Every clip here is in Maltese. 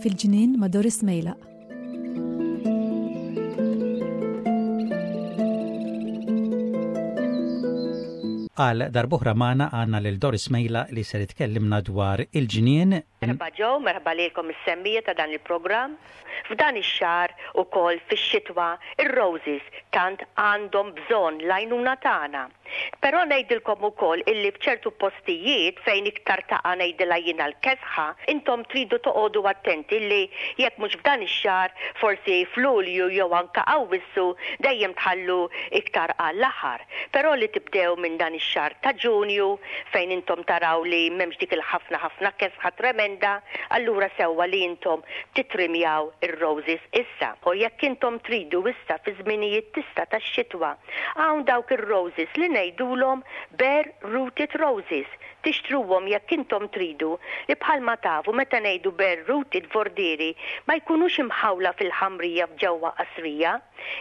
Fil-ġnien ma' Doris Mejlaq. Għal darb'oħra magħna għandna lil Doris Mejla li ser tkellimna dwar il-ġnien. Merħba Joe, merħba lilkom is-semmiegħa ta' dan il-programm. F'dan ix-xahar ukoll fix-xitwa ir-roses tant għandhom bżonn l-għajnuna tagħna. Però ngħidilkom ukoll illi f'ċertu postijiet fejn iktar taqa' ngħidilha jiena l-kesħa, intom tridu toqogħdu attenti li jekk mhux f'dan ix-xahar forsi f'Lulju jew anke Awwissu dejjem tħallu iktar għall-aħħar. Però li tibdew minn dan ix-xahar ta' Ġunju fejn intom taraw li m'hemmx dik il-ħafna ħafna kesħa tremenda, allura sewwa li intom tittrimjaw ir-roses issa. U jekk intom tridu issa fi żminijiet t'issa tax-xitwa, Hawn dawk ir-roses li ngħidulhom bare rooted roses, tixtruhom jekk intom tridu, li bħalma tafu meta ngħidu bare rooted vordieri ma jkunux imħawla fil-ħamrija f'ġewwa qasrija,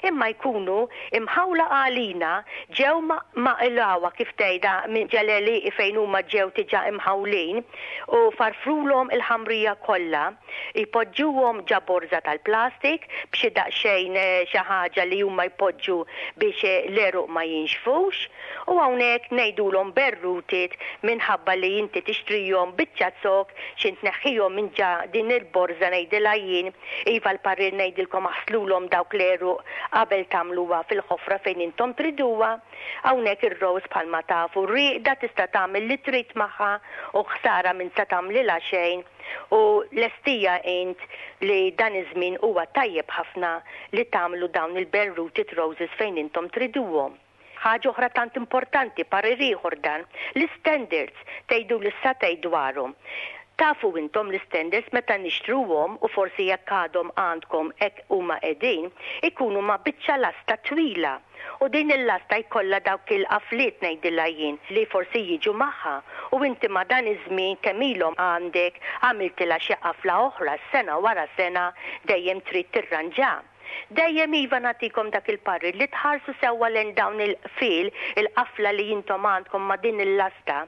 imma jkunu imħawla għalina ġew maqilgħuha kif tgħidha minn ġel-għelieqi fejn huma ġew diġà imħawlin u farfrulhom il-ħamrija kollha. Jpoġġuhom ġa borża tal-plastik b'xi daqsxejn xi ħaġa li huma jpoġġu biex l-għeruq ma jinxfux u hawnhekk ngħidulhom berrutit minħabba li inti tixtrihom biċċa zokk xi tneħħihom minn ġa din il-borża ngħidilha jien. Iva l-parir ngħidilkom aħslulhom dawk l-għeruq qabel tagħmluha fil-ħofra fejn intom triduha. Hawnhekk ir-rose bħalma tafu rieqda tista' tagħmel li trid magħha u ħsara m'int se tagħmlilha xejn. U lestija int li dan iż-żmien huwa tajjeb ħafna li tagħmlu dawn il-bare rooted roses fejn intom triduhom. Ħaġa oħra tant importanti, parir ieħor dan, l-istandards, tgħiduli sa tgħid dwarhom. Tafu intom l-istandards meta nixtruhom u forsi jekk għadhom għandkom hekk huma qegħdin, ikunu ma' biċċa lasta twila. U din il-lasta jkollha dawk il-qafliet ngħidilha jien li forsi jiġu magħha u inti ma' dan iż-żmien kemm ilhom għandek għamiltilha xi qafla oħra sena wara sena dejjem trid tirranġa. Dejjem iva nagħtikom dak il-parir li tħarsu sewwa lejn dawn il-qfiel, il-qafla li intom għandkom ma' din il-lasta.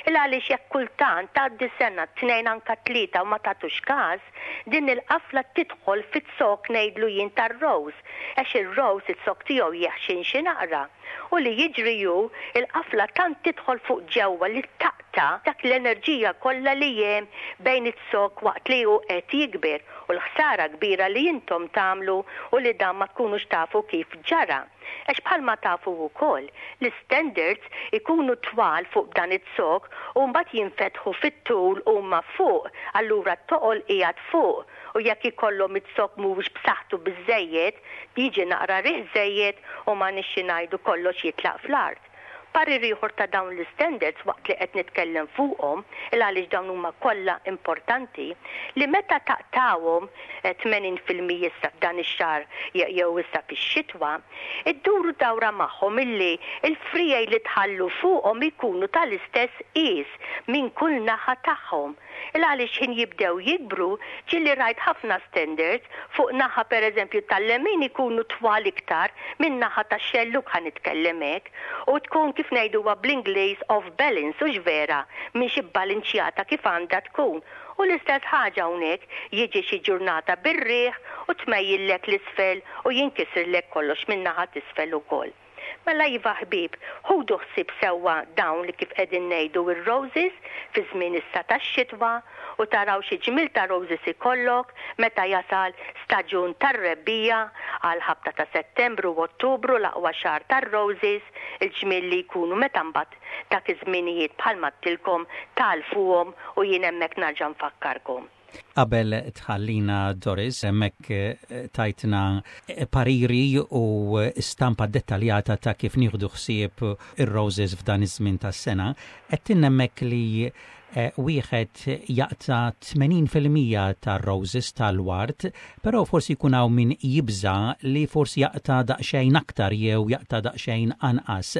Il għaliex jekk kultant tgħaddi sena, tnejn anka tlieta u ma tagħtux każ, din il-qafla tidħol fiz-zokk ngħidlu jien tar-rose. Għax ir-rose iz-zokk tiegħu jeħxien xi naqra. U li jiġri hu, il-qafla tant tidħol fuq ġewwa li taqta' dak l-enerġija kollha li hemm bejn iz-zokk waqt li hu qed jikber u l-ħsara kbira li intom tagħmlu u li dan ma tkunux tafu kif ġara. Għax bħalma tafu wkoll, l-istandards ikunu twal fuq dan iz-zokk u mbagħad jinfetħu fit-tul huma fuq, allura t-toqol qiegħed fuq u jekk ikollhom iz-zokk mhuwiex b'saħħtu biżżejjed, jiġi naqra riħ żejjed u m'għandniex xi ngħidu kollox jitlaq fl-art. Parir ieħor ta' dawn l-istandards waqt li qed nitkellem fuqhom, il għaliex dawn huma kollha importanti, li meta taqtgħuhom, 80% issa f'dan ix-xahar jew issa fix-xitwa, idduru dawra magħhom illi l-friegħi li tħallu fuqhom ikunu tal-istess qies minn kull naħa tagħhom. Il għaliex x'ħin jibdew jikbru, ġieli rajt ħafna standards, fuq naħa per eżempju tal-lemin ikunu twal iktar minn naħa tax-xellug ħa nitkellem hekk, u tkun kif ngħiduha bl-Ingliż off balance hux vera, mhix ibbalinċjata kif għandha tkun. U l-istess ħaġa hawnhekk, jiġi xi ġurnata bir-riħ u tmejjillek 'l isfel u jinkisirlek kollox min-naħa t'isfel ukoll. Mela iva ħbieb, ħudu ħsieb sewwa dawn li kif qegħdin ngħidu r-roses fi żmien issa tax-xitwa u taraw xi ġmiel ta' roses ikollok meta jasal staġun tar-rebbiegħa għal ħabta ta' Settembru u Ottubru l-aqwa xahar tar-roses, il-ġmiel li jkunu meta mbagħad dak iż-żminijiet bħalma għedtilkom tagħlfuhom u jien hemmhekk narġa' nfakkarkom. Qabel tħallina Doris, hemmhekk eh, tajtna eh, pariri u stampa dettaljata ta' kif nieħdu ħsieb ir-roses f'dan iż-żmien tas-sena. Qed hemmhekk li eh, wieħed jaqta' 80% tar-roses tal-ward, però forsi jkun hawn min jibża li forsi jaqta' daqsxejn aktar jew jaqta' daqsxejn anqas.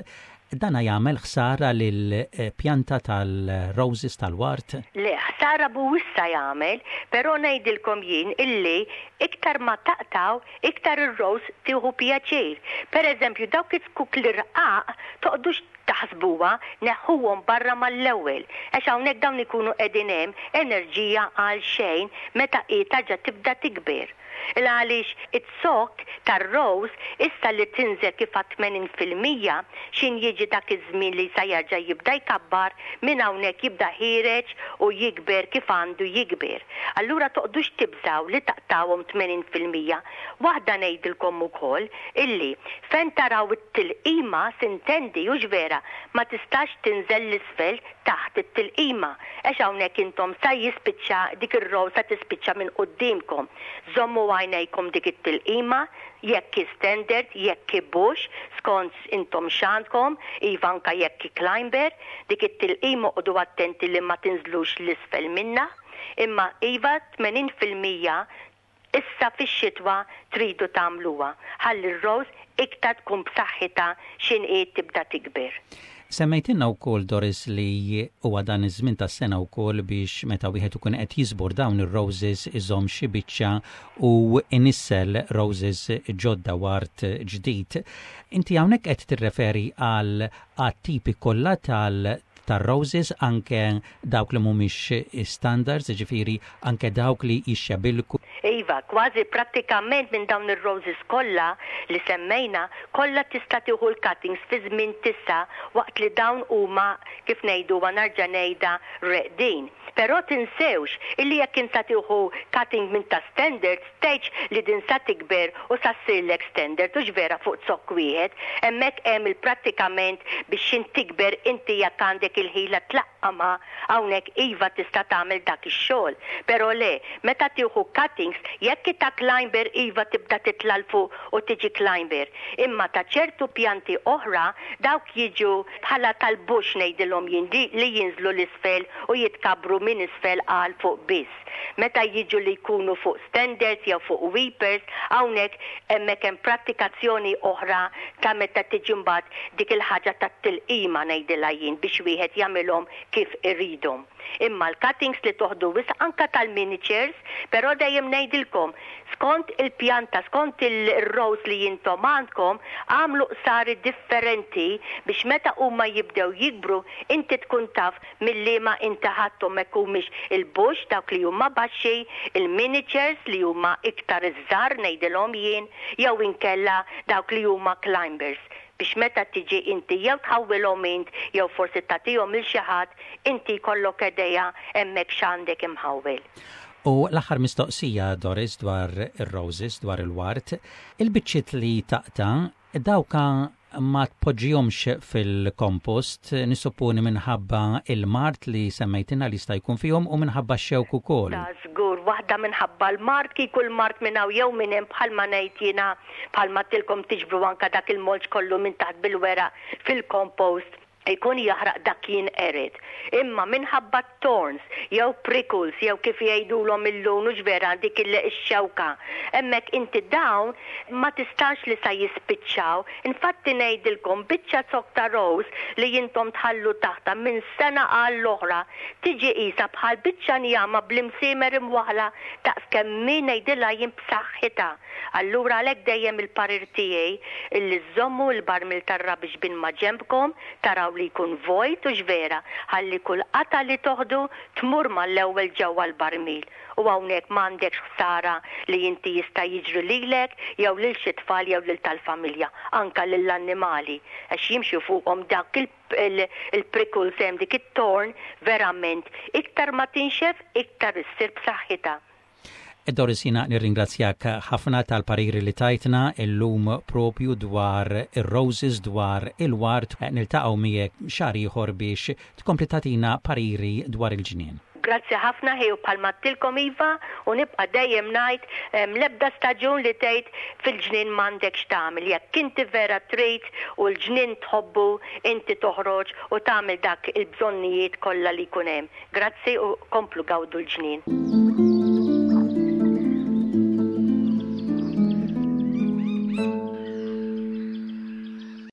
Dana jagħmel ħsara lill-pjanta tal-roses tal-ward? Le, ħsara mhuwiex sa jagħmel, però ngħidilkom jien illi iktar ma taqtgħu, iktar ir-rose tieħu pjaċir. Per eżempju, dawk iz-zkuk l-irqaq toqgħdux taħsbuha, neħħuhom barra mal-ewwel, għax hawnhekk dawn ikunu qegħdin hemm enerġija għal xejn meta hi tarġa' tibda tikber. Il għaliex iz-zokk tar-rose issa li tinżel kif għad 80% x'in jiġi dak iż-żmien li sa jerġa' jibda jkabbar, minn hawnhekk jibda ħiereġ u jikber kif għandu jikber. Allura toqgħdux tibżgħu li taqtgħuhom 80%. Waħda ngħidilkom ukoll illi fejn taraw it-tilqima sintendi hux vera ma tistax tinżel 'l isfel taħt it-tilqima għax hawnhekk intom sa jispiċċa dik ir-row sa tispiċċa minn quddiemkom. Żommu għajnejkom dik it-tilqima, jekk hi standard, jekk hi bush, skont intom x'għandkom, iva anka jekk hi climber, dik it-tilqima oqogħdu attenti li ma tinżlux 'l isfel minnha. Imma iva 80% issa fix-xitwa tridu tagħmluha ħalli r-rose iktar tkun b'saħħitha x'inhi tibda tikber. Semmejtilna wkoll, Doris, li huwa dan iż-żmien tas-sena wkoll biex meta wieħed ikun qed jiżbor dawn ir-roses iżomm xi biċċa u inissel roses ġodda ward ġdid. Inti hawnhekk qed tirreferi għal għat-tipi kollha tal tar-roses anke dawk li mhumiex standards, jiġifieri anke dawk li jixxebilku. Iva, kważi prattikament minn dawn ir-roses kollha li semmejna, kollha tista' tieħu l-cuttings fi żmien tisa' waqt li dawn huma, kif ngħiduha narġa' ngħidha, reqdin. Però tinsewx illi jekk inta tieħu cutting minn ta' standards, tgħidx li din sa tikber u sa ssirlek standard, hux vera fuq zokk wieħed. Hemmhekk hemm il-prattikament biex x'int tikber inti jekk għandek il-ħila tlaqqamha hawnhekk iva tista' tagħmel dak ix-xogħol. Però le, meta tieħu cuttings, jekk ta' climber iva tibda titla' 'l fuq u tiġi climber. Imma ta' ċertu pjanti oħra dawk jiġu bħala tal-bush ngħidilhom jien li jinżlu 'l isfel u jitkabbru minn isfel għal fuq biss. Meta jiġu li jkunu fuq standards jew fuq weepers, hawnhekk hemmhekk hemm prattikazzjoni oħra ta' meta tiġi mbagħad dik il-ħaġa tat-tilqima ngħidilha jien biex wieħed jagħmilhom kif iridhom. Imma l-cuttings li toħdu wisq anka tal-miniatures, però dejjem ngħidilkom skont il-pjanta, skont il-rose li intom għandkom, għamlu qsari differenti biex meta huma jibdew jikbru inti tkun taf mill-liema inti ħadthom hekk humiex il-bush dawk li huma baxxi, il-miniatures li huma iktar iż-żgħar ngħidilhom jien, jew inkella dawk li huma climbers biex meta tiġi inti jew tħawwilhom int jew forsi tagħtihom lil xi ħadd, inti jkollok idea hemmhekk x'għandek imħawwel. U l-aħħar mistoqsija, Doris, dwar ir-roses, dwar il-ward, il-biċċiet li taqta' dawka ma tpoġġihomx fil-kompost, nissupponi minħabba il-mard li semmejtilna li jista' jkun fihom u minħabba x-xewk ukoll. Ta' żgur, waħda minħabba l-mard, kieku l-mard minn hawn jew minn hemm bħalma ngħid jiena bħalma għedtilkom tiġbru anka dak il-mulch kollu minn taħt bil-weraq fil-kompost ikun jaħraq dak jinqered. Imma minħabba thorns jew prickles jew kif jgħidulhom illum hux vera dik ix-xewka. Hemmhekk inti dawn ma tistax li sa jispiċċaw. Infatti ngħidilkom biċċa zokk ta' rose li intom tħallu taħta minn sena għall oħra tiġi qisha bħal biċċa njama bl-imsiemer imwaħla daqs kemm min ngħidilha jien b'saħħitha. Allura għalhekk dejjem il-parir tiegħi illi żommu l-barmil tar-rubbish bin ma' ġenbkom, taraw li jkun vojt hux vera, ħalli kull qata li toħdu tmur mal-ewwel ġewwa l-barmil. U hawnhekk m'għandekx ħsara li inti jista' jiġri lilek jew lil xi tfal jew lil tal-familja, anka lill-annimali għax jimxu fuqhom dak il-prickles hemm dik it-thorn verament iktar ma tinxef iktar issir b'saħħitha. Doris, jiena nirringrazzjak ħafna tal-pariri li tajtna illum propju dwar ir-roses, dwar il-ward. Niltaqgħu miegħek xahar ieħor biex tkompli tagħtina pariri dwar il-ġnien. Grazzi ħafna ħi u bħalma għedtilkom iva u nibqa' dejjem ngħid l-ebda staġun li tgħid fil-ġnien m'għandekx tagħmel. Jekk inti vera trid u l-ġnien tħobbu, inti toħroġ u tagħmel dak il-bżonnijiet kollha li jkun hemm. Grazzi u komplu gawdu l-ġnien.